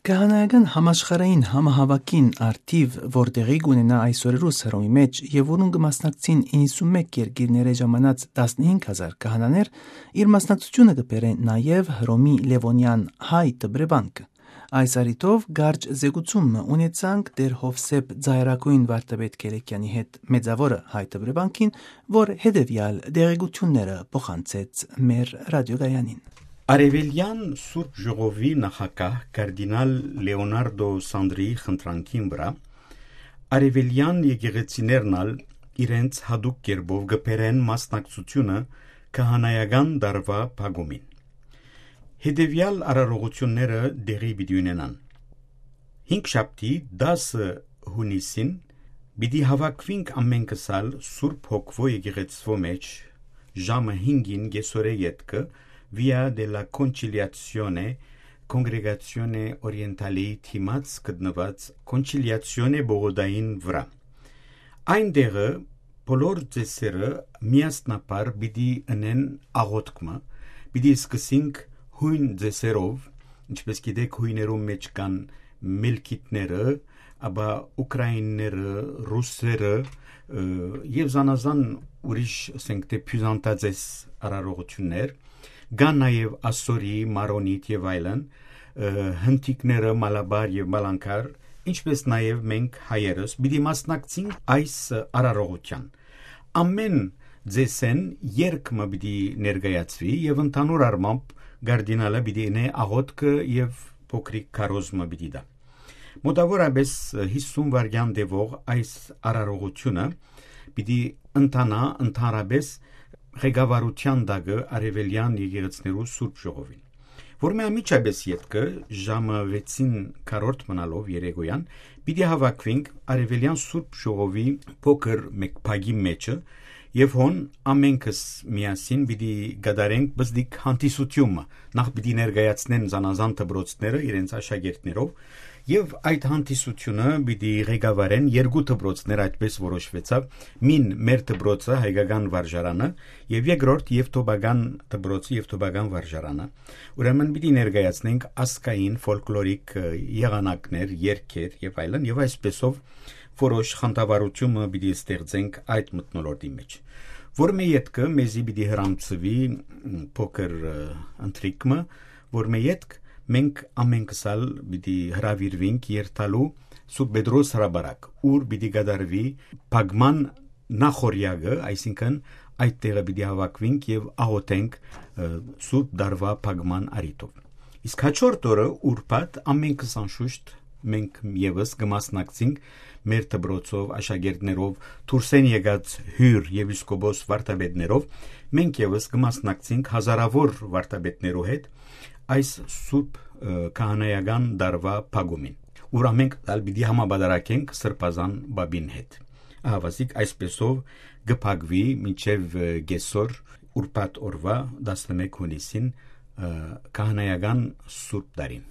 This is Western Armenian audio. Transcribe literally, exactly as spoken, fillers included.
Քահանայական համաշխարհային համահաւաքին առթիւ, որ տեղի կ'ունենայ այսօրերուս Հռոմի մէջ եւ որուն կը մասնակցին իննսունմէկ երկիրներէ ժամանած տասնհինգ հազար քահանաներ, իր մասնակցութիւնը կը բերէ նաեւ Հռոմի Լեւոնեան հայ դպրեվանքը։ Այս առիթով կարճ զեկուցում մը ունեցանք Տէր Յովսէփ Ձայրագոյն վարդապետ Քելեքեանի հետ Մեծաւորը հայ դպրեվանքին, որ հետեւեալ տեղեկութիւնները փոխանցեց մեր ռադիոկայանին։ Արեւելեան Սուրբ Ժողովի նախագահ կարդինալ Լեոնարդո Սանդրիի խնդրանքին վրայ, արեւելեան եկեղեցիներն ալ իրենց յատուկ կերպով կը բերեն մասնակցութիւնը քահանայական տարուայ փակումին։ Հետեւեալ արարողութիւնները տեղի պիտի ունենան. Հինգշաբթի, դասը յունիսին, պիտի հաւաքուինք ամէնքս ալ Սուրբ Հոգուոյ եկեղեցւոյ մէջ ժամը հինգին կեսօրէ ետքը Via della Conciliazione, Congregazione Orientale-ի դիմաց գտնուած Կոնչիլիացիոնե պողոտային վրայ։ Այն տեղը բոլոր ծեսերը միասնաբար պիտի ընեն աղօթք մը, պիտի սկսենք յոյն ծեսերով, ինչպես գիտեք, յոյներուն մէջ կան մելքիթները, ապա ուկրաինները, ռուսերը, ը, եւ զանազան ուրիշ, ասենք թէ, բիւզանտաձես արարողութիւններ, կան նաեւ ասորի, մարոնիթ եւ այլն, ը, հնդիկները, մալաբար եւ մալանքար, ինչպես նաեւ մենք հայերս պիտի մասնակցենք այս արարողութեան։ Ամէն ձեսեն երգ մը պիտի ներկայացուի եւ ընդհանուր առմամբ կարդինալը պիտի ընէ աղօթքը եւ փոքրիկ քարոզ մը պիտի տայ։ Մոտաւորապէս հիսուն վայրկեան տեւող այս արարողութիւնը պիտի ընթանայ ընդհանրապէս ղեկավարութեան տակը արեւելեան եկեղեցիներու Սուրբ Ժողովին, որ մէ անմիջապէս ետքը ժամը վեցին քառորդ մնալով երեկոյան պիտի հաւաքուինք արեւելեան Սուրբ Ժողովի փոքր մէկ փակի մէջը եւ հոն ամէնքս միասին պիտի կատարենք բզդիկ հանդիսութիւնը։ Նախ պիտի ներկայացնեն զանազան դպրոցները իրենց աշակերտներով եւ այդ հանդիսութիւնը պիտի ղեկավարեն երկու դպրոցներ, այդպես որոշուեցաւ, մին մեր դպրոցը, հայկական վարժարանը, եւ երկրորդ եւթոպական դպրոցը, եւթոպական վարժարանը։ Ուրեմն պիտի ներկայացնենք ազգային, ֆոլկլորիկ, ը, եղանակներ, երգեր եւ այլն, եւ այսպեսով որոշ խանդավառութիւնը պիտի ստեղծենք այդ մթնոլորտի մէջ, որ մէ ետքը մեզի պիտի հրամցուի, մ, փոքր, ը, ընթրիք մը, որ մէ ետք մենք ամենքս ալ պիտի հրաւիրուինք երթալու Սուրբ Պետրոս հրապարակ, ուր պիտի կատարուի փակման նախօրեակը, այսինքն այդ տեղը պիտի հաւաքուինք եւ աղօթենք, ը, Սուրբ Տարուայ փակման առիթով։ Իսկ հաջորդ օրը ուրբաթ ամենքս անշուշտ մենք եւս կը մասնակցենք մեր դպրոցով, աշակերտներով, դուրսէն եկած հիւր եպիսկոպոս վարդապետներով, մենք եւս կը մասնակցենք հազարաւոր վարդապետներու հետ այս Սուրբ, ը, քահանայական տարուայ փակումին, ուր ամենք ալ պիտի համապատարագենք Սրբազան Պապին հետ։ Ահավասիկ այսպեսով կը փակուի մինչեւ, ը, կեսօր ուրբաթ օրուայ տասնմէկ յունիսին, ը, քահանայական Սուրբ Տարին։